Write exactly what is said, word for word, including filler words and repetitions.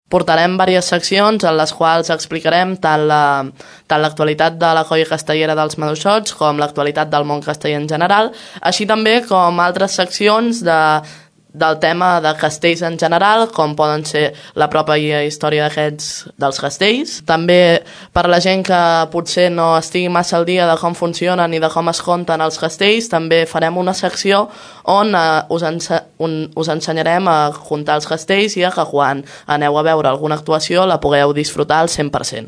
Portarem diverses seccions en les quals explicarem tant la, tant l'actualitat de la colla castellera dels Maduixots com l'actualitat del món casteller en general, així també com altres seccions de del tema de castells en general, com poden ser la pròpia història d'aquests dels castells. També per la gent que potser no estigui massa al dia de com funcionen i de com es compten els castells, també farem una secció on eh, us, ense un, us ensenyarem a comptar els castells i a que quan aneu a veure alguna actuació la pugueu disfrutar al cent per cent.